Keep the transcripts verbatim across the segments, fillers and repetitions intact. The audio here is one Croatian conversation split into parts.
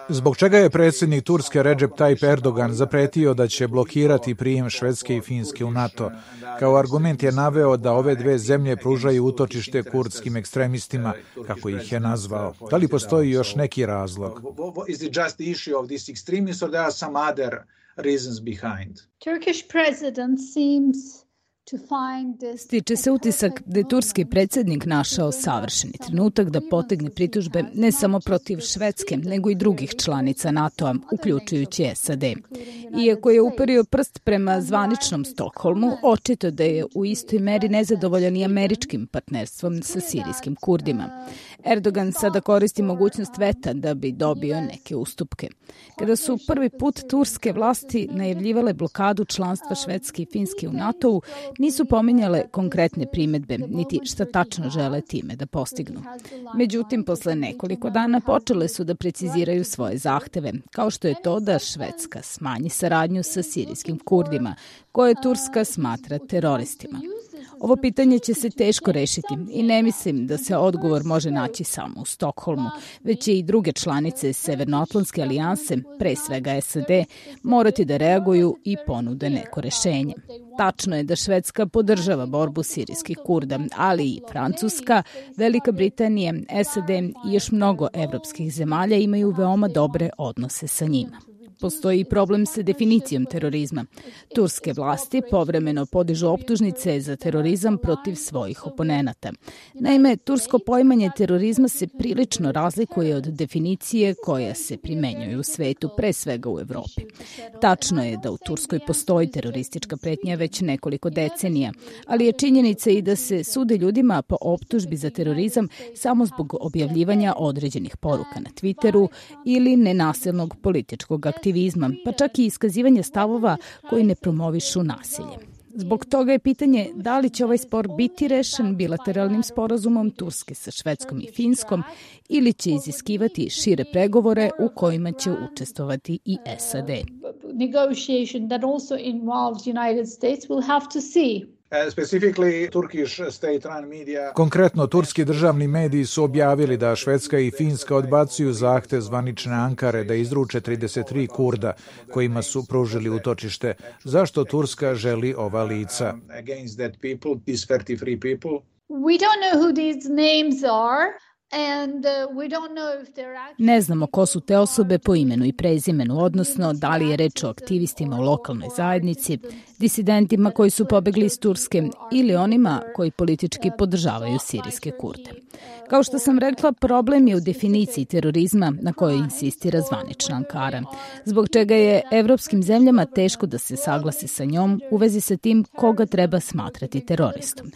Zbog čega je predsjednik Turske Recep Tayyip Erdogan zapretio da će blokirati prijem Švedske i Finske u NATO? Kao argument je naveo da ove dve zemlje pružaju utočište kurdskim ekstremistima, kako ih je nazvao. Da li postoji još neki razlog? Turkish president seems Stiče se utisak da je turski predsjednik našao savršeni trenutak da potegne pritužbe ne samo protiv Švedske, nego i drugih članica NATO-a, uključujući S A D. Iako je uperio prst prema zvaničnom Stokholmu, očito da je u istoj meri nezadovoljan i američkim partnerstvom sa sirijskim Kurdima. Erdogan sada koristi mogućnost veta da bi dobio neke ustupke. Kada su prvi put turske vlasti najavljivale blokadu članstva Švedske i Finske u NATO-u, nisu pominjale konkretne primedbe, niti šta tačno žele time da postignu. Međutim, posle nekoliko dana počele su da preciziraju svoje zahteve, kao što je to da Švedska smanji saradnju sa sirijskim Kurdima, koje Turska smatra teroristima. Ovo pitanje će se teško rešiti i ne mislim da se odgovor može naći samo u Stokholmu, već će i druge članice Severnoatlantske alijanse, pre svega S A D, morati da reaguju i ponude neko rešenje. Tačno je da Švedska podržava borbu sirijskih Kurda, ali i Francuska, Velika Britanija, S A D i još mnogo evropskih zemalja imaju veoma dobre odnose sa njima. Postoji i problem sa definicijom terorizma. Turske vlasti povremeno podižu optužnice za terorizam protiv svojih oponenata. Naime, tursko poimanje terorizma se prilično razlikuje od definicije koja se primenjuje u svetu, pre svega u Evropi. Tačno je da u Turskoj postoji teroristička pretnja već nekoliko decenija, ali je činjenica i da se sude ljudima po optužbi za terorizam samo zbog objavljivanja određenih poruka na Twitteru ili nenasilnog političkog aktivizma. aktivizma, pa čak i iskazivanje stavova koji ne promovišu nasilje. Zbog toga je pitanje da li će ovaj spor biti rešen bilateralnim sporazumom Turske sa Švedskom i Finskom ili će iziskivati šire pregovore u kojima će učestvovati i S A D. Negotiation that also involves United States will have to see. Konkretno, turski državni mediji su objavili da Švedska i Finska odbacuju zahtev zvanične Ankare da izruče trideset tri Kurda kojima su pružili utočište. Zašto Turska želi ova lica? We don't know who these names are. And, uh, we don't know if they're Ne znamo ko su te osobe po imenu i prezimenu, odnosno da li je reč o aktivistima u lokalnoj zajednici, disidentima koji su pobegli iz Turske ili onima koji politički podržavaju sirijske Kurde. Kao što sam rekla, problem je u definiciji terorizma na kojoj insistira zvanična Ankara, zbog čega je evropskim zemljama teško da se saglasi sa njom u vezi sa tim koga treba smatrati teroristom.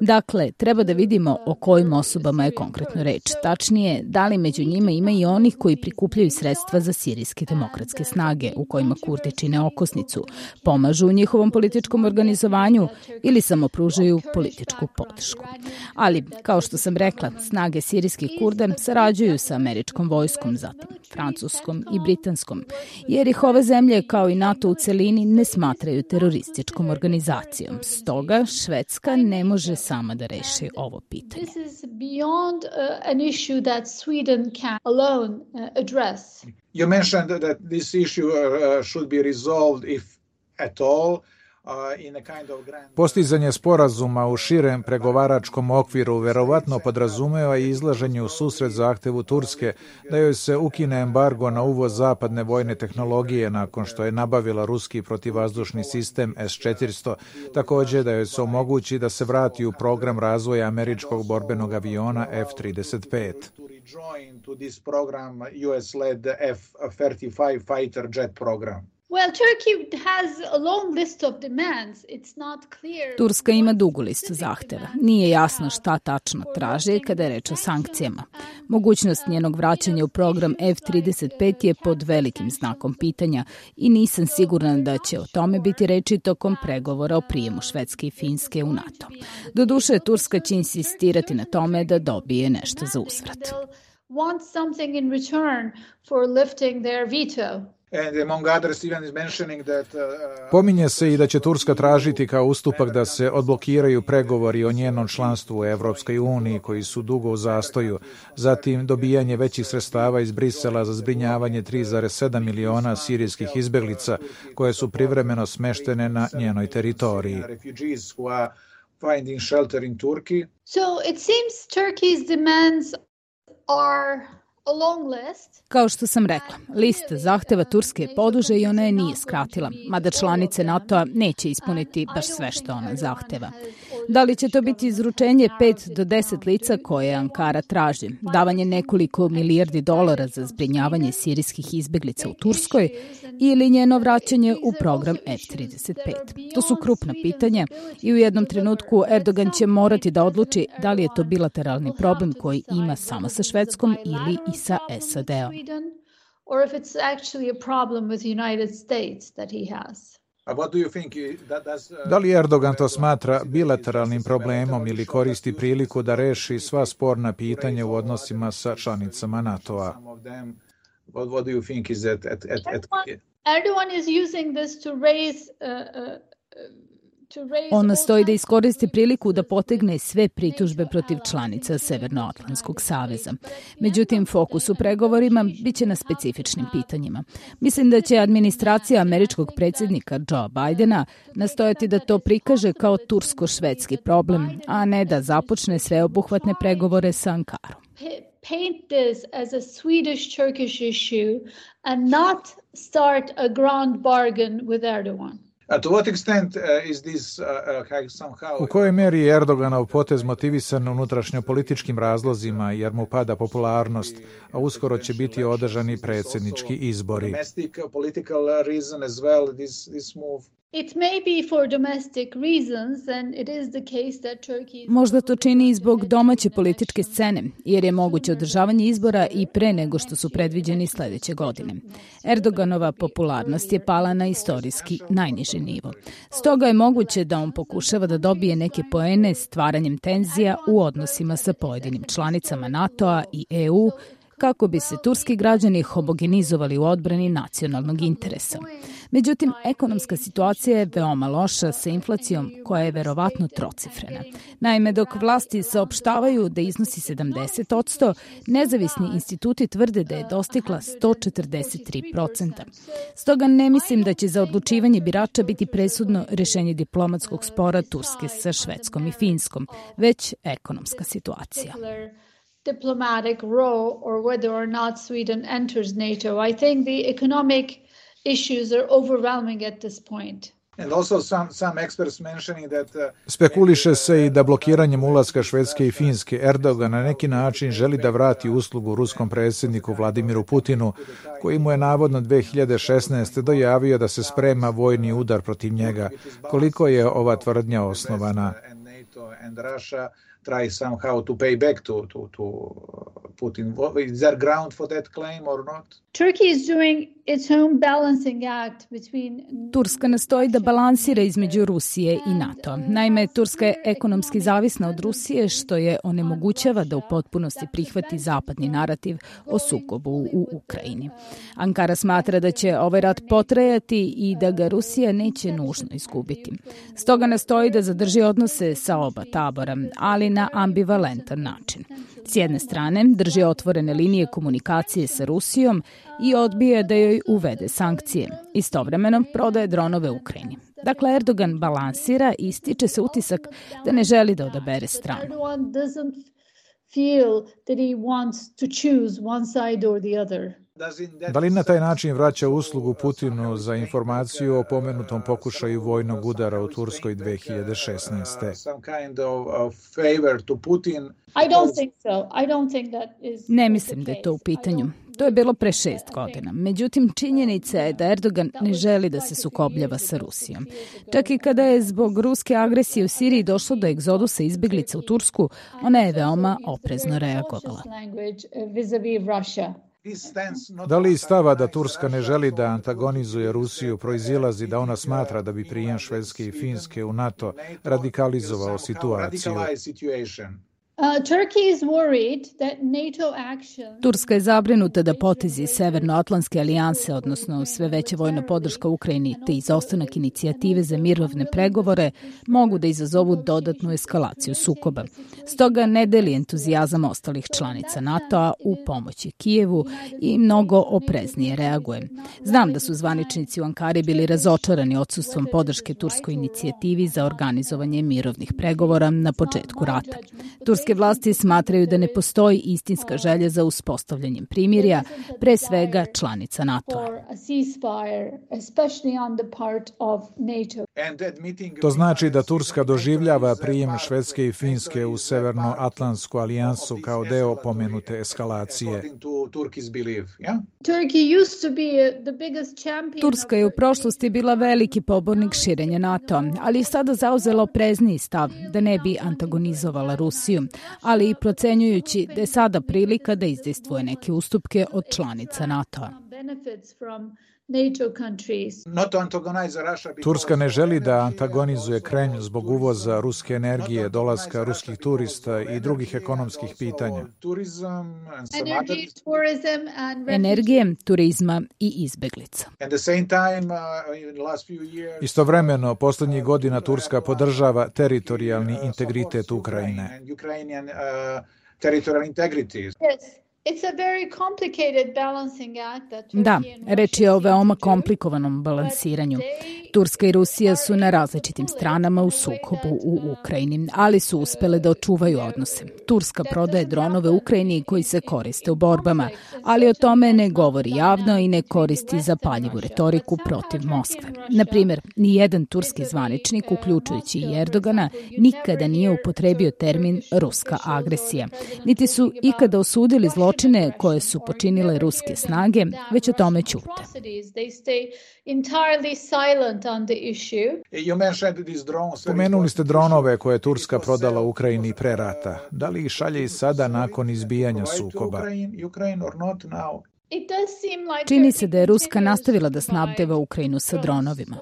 Dakle, treba da vidimo o kojim osobama je konkretno reč. Tačnije, da li među njima ima i onih koji prikupljaju sredstva za sirijske demokratske snage, u kojima Kurdi čine okosnicu, pomažu u njihovom političkom organizovanju ili samo pružaju političku podršku. Ali, kao što sam rekla, snage sirijskih Kurda sarađuju sa američkom vojskom, zatim francuskom i britanskom, jer ih ove zemlje kao i NATO u celini ne smatraju terorističkom organizacijom. Stoga Švedska ne može sama da reši ovo pitanje. This is beyond uh, an issue that Sweden can alone uh, address. You mentioned that this issue uh, should be resolved if at all. Postizanje sporazuma u širem pregovaračkom okviru verovatno podrazumeva i izlaženje u susret zahtevu Turske da joj se ukine embargo na uvoz zapadne vojne tehnologije nakon što je nabavila ruski protivvazdušni sistem S četiristo, također da joj se omogući da se vrati u program razvoja američkog borbenog aviona F trideset pet. Well, Turkey has a long list of demands. It's not clear. Turska ima dugu listu zahteva. Nije jasno šta tačno traži kada je reč o sankcijama. Mogućnost njenog vraćanja u program F trideset pet je pod velikim znakom pitanja i nisam sigurna da će o tome biti reči tokom pregovora o prijemu Švedske i Finske u NATO. Doduše, Turska će insistirati na tome da dobije nešto za uzvrat. Want something in return for lifting their veto. Pominje se i da će Turska tražiti kao ustupak da se odblokiraju pregovori o njenom članstvu u Evropskoj uniji koji su dugo u zastoju, zatim dobijanje većih sredstava iz Brisela za zbrinjavanje tri zarez sedam miliona sirijskih izbeglica koje su privremeno smeštene na njenoj teritoriji. So it seems Turkey's demands are a long list. Kao što sam rekla, lista zahteva Turske je poduže i ona je nije skratila, mada članice NATO-a neće ispuniti baš sve što ona zahteva. Da li će to biti izručenje pet do deset lica koje Ankara traži, davanje nekoliko milijardi dolara za zbrinjavanje sirijskih izbeglica u Turskoj ili njeno vraćanje u program F trideset pet? To su krupna pitanja i u jednom trenutku Erdogan će morati da odluči da li je to bilateralni problem koji ima samo sa Švedskom ili i sa S A D-om. Or if it's actually a problem with the United States that he has. Da li Erdogan to smatra bilateralnim problemom ili koristi priliku da reši sva sporna pitanja u odnosima sa članicama NATO-a? Erdogan is using this to raise uh, uh, On nastoji da iskoristi priliku da potegne sve pritužbe protiv članica Severnoatlantskog saveza. Međutim, fokus u pregovorima biće na specifičnim pitanjima. Mislim da će administracija američkog predsjednika Joe Bidena nastojati da to prikaže kao tursko-švedski problem, a ne da započne sveobuhvatne pregovore sa Ankarom. Paint this as a Swedish-Turkish issue and not start a grand bargain with Erdogan. U kojoj meri je Erdoganov potez motivisan unutrašnjo-političkim razlozima jer mu pada popularnost, a uskoro će biti održani predsjednički izbori? It may be for domestic reasons, and it is the case that Turkey... Možda to čini i zbog domaće političke scene, jer je moguće održavanje izbora i pre nego što su predviđeni sljedeće godine. Erdoganova popularnost je pala na istorijski najniži nivo. Stoga je moguće da on pokušava da dobije neke poene stvaranjem tenzija u odnosima sa pojedinim članicama NATO-a i E U, kako bi se turski građani homogenizovali u odbrani nacionalnog interesa. Međutim, ekonomska situacija je veoma loša sa inflacijom koja je verovatno trocifrena. Naime, dok vlasti saopštavaju da iznosi sedamdeset posto, nezavisni instituti tvrde da je dostigla sto četrdeset tri procenta. Stoga ne mislim da će za odlučivanje birača biti presudno rešenje diplomatskog spora Turske sa Švedskom i Finskom, već ekonomska situacija. Diplomatic role or whether or not Sweden enters NATO. I think the economic issues are overwhelming at this point. And also some, some experts mentioning that, uh, Spekuliše se i da blokiranjem ulaska Švedske i Finske Erdogan na neki način želi da vrati uslugu ruskom predsjedniku Vladimiru Putinu, koji mu je navodno dve hiljade šesnaeste. dojavio da se sprema vojni udar protiv njega. Koliko je ova tvrdnja osnovana? And Russia try somehow to pay back to, to, to Putin. Is there ground for that claim or not? Turkey is doing its own balancing act between... Turska nastoji da balansira između Rusije i NATO. Naime, Turska je ekonomski zavisna od Rusije, što je onemogućava da u potpunosti prihvati zapadni narativ o sukobu u Ukrajini. Ankara smatra da će ovaj rat potrajati i da ga Rusija neće nužno izgubiti. Stoga nastoji da zadrži odnose sa oba tabora, ali na ambivalentan način. S jedne strane, drži otvorene linije komunikacije sa Rusijom i odbije da joj uvede sankcije. Istovremeno prodaje dronove Ukrajini. Dakle, Erdogan balansira i stiče se utisak da ne želi da odabere stranu. Da li na taj način vraća uslugu Putinu za informaciju o pomenutom pokušaju vojnog udara u Turskoj dve hiljade šesnaeste. Ne mislim da je to u pitanju. To je bilo pre šest godina. Međutim, činjenica je da Erdogan ne želi da se sukobljava sa Rusijom. Čak i kada je zbog ruske agresije u Siriji došlo do egzodusa izbeglica u Tursku, ona je veoma oprezno reagovala. Da li stava da Turska ne želi da antagonizuje Rusiju proizilazi da ona smatra da bi prijem Švedske i Finske u NATO radikalizovao situaciju? Turska je zabrinuta da potezi Severnoatlantske alijanse, odnosno sve veća vojna podrška Ukrajini te izostanak inicijative za mirovne pregovore, mogu da izazovu dodatnu eskalaciju sukoba. Stoga ne deli entuzijazam ostalih članica NATO-a u pomoći Kijevu i mnogo opreznije reaguje. Znam da su zvaničnici u Ankari bili razočarani odsustvom podrške turskoj inicijativi za organizovanje mirovnih pregovora na početku rata. Turske vlasti smatraju da ne postoji istinska želja za uspostavljanjem primirja, pre svega članica NATO-a. To znači da Turska doživljava prijem Švedske i Finske u Severnoatlantsku alijansu kao deo pomenute eskalacije. Turska je u prošlosti bila veliki pobornik širenja NATO, ali je sada zauzela oprezniji stav da ne bi antagonizovala Rusiju, ali i procenjujući da je sada prilika da izdejstvuje neke ustupke od članica NATO-a. Turska ne želi da antagonizuje Kremlj zbog uvoza ruske energije, dolaska ruskih turista i drugih ekonomskih pitanja. Energije, turizma i izbeglica. Istovremeno, posljednjih godina Turska podržava teritorijalni integritet Ukrajine. Da, reč je o veoma komplikovanom balansiranju. Turska i Rusija su na različitim stranama u sukobu u Ukrajini, ali su uspele da očuvaju odnose. Turska prodaje dronove Ukrajini koji se koriste u borbama, ali o tome ne govori javno i ne koristi zapaljivu retoriku protiv Moskve. Na primjer, nijedan turski zvaničnik, uključujući i Erdogana, nikada nije upotrebio termin ruska agresija, niti su ikada osudili zločine koje su počinile ruske snage, već o tome ćute. Pomenuli ste dronove koje je Turska prodala Ukrajini pre rata. Da li ih šalje i sada nakon izbijanja sukoba? Čini se da je Ruska nastavila da snabdeva Ukrajinu sa dronovima.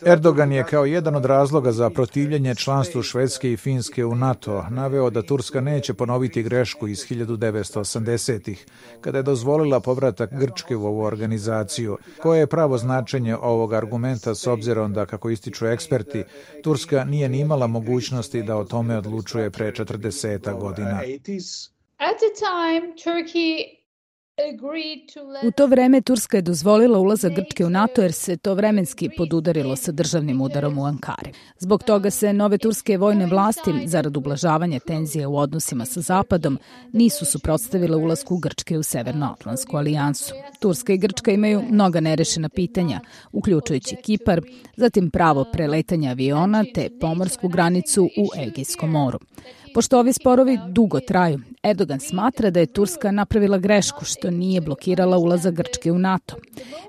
Erdogan je kao jedan od razloga za protivljenje članstvu Švedske i Finske u NATO naveo da Turska neće ponoviti grešku iz hiljadu devetsto osamdesetih, kada je dozvolila povratak Grčke u ovu organizaciju. Koje je pravo značenje ovog argumenta s obzirom da, kako ističu eksperti, Turska nije ni imala mogućnosti da o tome odlučuje pre četrdeset godina. U to vreme Turska je dozvolila ulazak Grčke u NATO jer se to vremenski podudarilo sa državnim udarom u Ankari. Zbog toga se nove turske vojne vlasti, zarad ublažavanja tenzije u odnosima sa Zapadom, nisu suprotstavile ulasku Grčke u Severnoatlantsku alijansu. Turska i Grčka imaju mnoga nerešena pitanja, uključujući Kipar, zatim pravo preletanja aviona te pomorsku granicu u Egejskom moru. Pošto ovi sporovi dugo traju, Erdogan smatra da je Turska napravila grešku što nije blokirala ulazak Grčke u NATO.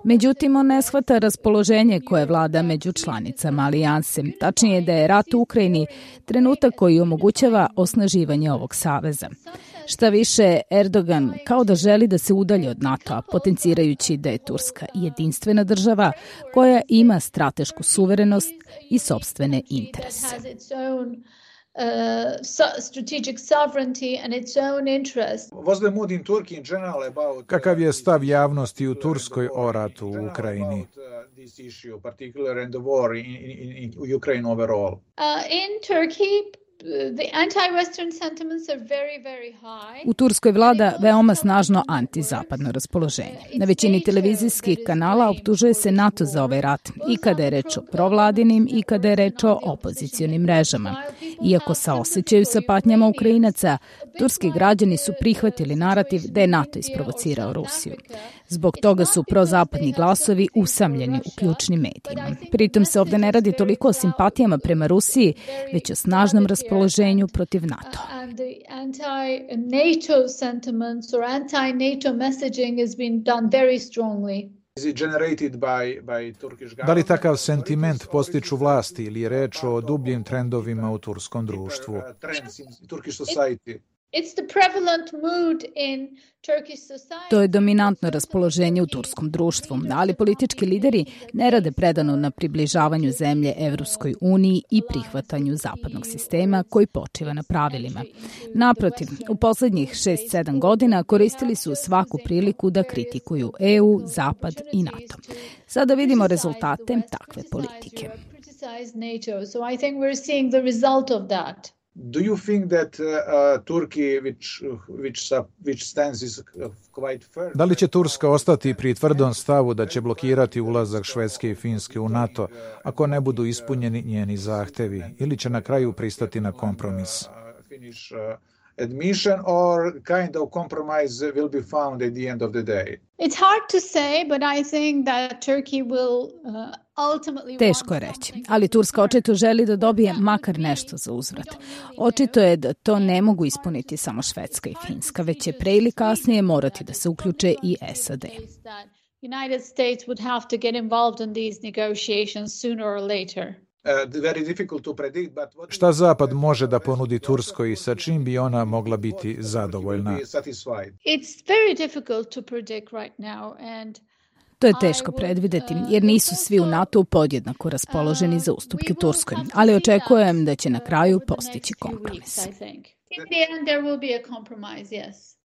Međutim, on ne shvata raspoloženje koje vlada među članicama alijanse. Tačnije da je rat u Ukrajini trenutak koji omogućava osnaživanje ovog saveza. Šta više, Erdogan kao da želi da se udalji od NATO-a, potencirajući da je Turska jedinstvena država koja ima stratešku suverenost i sopstvene interese. Uh, strategic sovereignty and its own interest. Kakav je stav javnosti u Turskoj o ratu u Ukrajini? Uh, in Turkey, the anti-Western sentiments are very, very high. U Turskoj vlada veoma snažno antizapadno raspoloženje. Na većini televizijskih kanala optužuje se NATO za ovaj rat i kada je reč o provladinim i kada je reč o opozicionim mrežama. Iako saosećaju sa patnjama Ukrajinaca, turski građani su prihvatili narativ da je NATO isprovocirao Rusiju. Zbog toga su prozapadni glasovi usamljeni u ključnim medijima. Pritom se ovde ne radi toliko o simpatijama prema Rusiji, već o snažnom raspoloženju protiv NATO. Anti-NATO sentiments or anti-NATO messaging has been done very strongly. Da li takav sentiment postiču vlasti ili je reč o dubljim trendovima u turskom društvu? To je dominantno raspoloženje u turskom društvu, ali politički lideri ne rade predano na približavanju zemlje Evropskoj uniji i prihvatanju zapadnog sistema koji počiva na pravilima. Naprotiv, u poslednjih šest sedam godina koristili su svaku priliku da kritikuju E U, Zapad i NATO. Sada vidimo rezultate takve politike. Do you think that uh, uh, Turkey, which, which, which stands is quite firm... Da li će Turska ostati pri tvrdom stavu da će blokirati ulazak Švedske i Finske u NATO ako ne budu ispunjeni njeni zahtevi, ili će na kraju pristati na kompromis? Admission or kind of compromise will be found at the end of the day. It's hard to say, but I think that Turkey will uh, ultimately... Teško je reći, ali Turska očito želi da dobije makar nešto za uzvrat. Očito je da to ne mogu ispuniti samo Švedska i Finska, već će pre ili kasnije morati da se uključe i S A D. United States would have to get involved in these negotiations sooner or later. Šta Zapad može da ponudi Turskoj i sa čim bi ona mogla biti zadovoljna? To je teško predvideti, jer nisu svi u NATO podjednako raspoloženi za ustupke Turskoj, ali očekujem da će na kraju postići kompromis.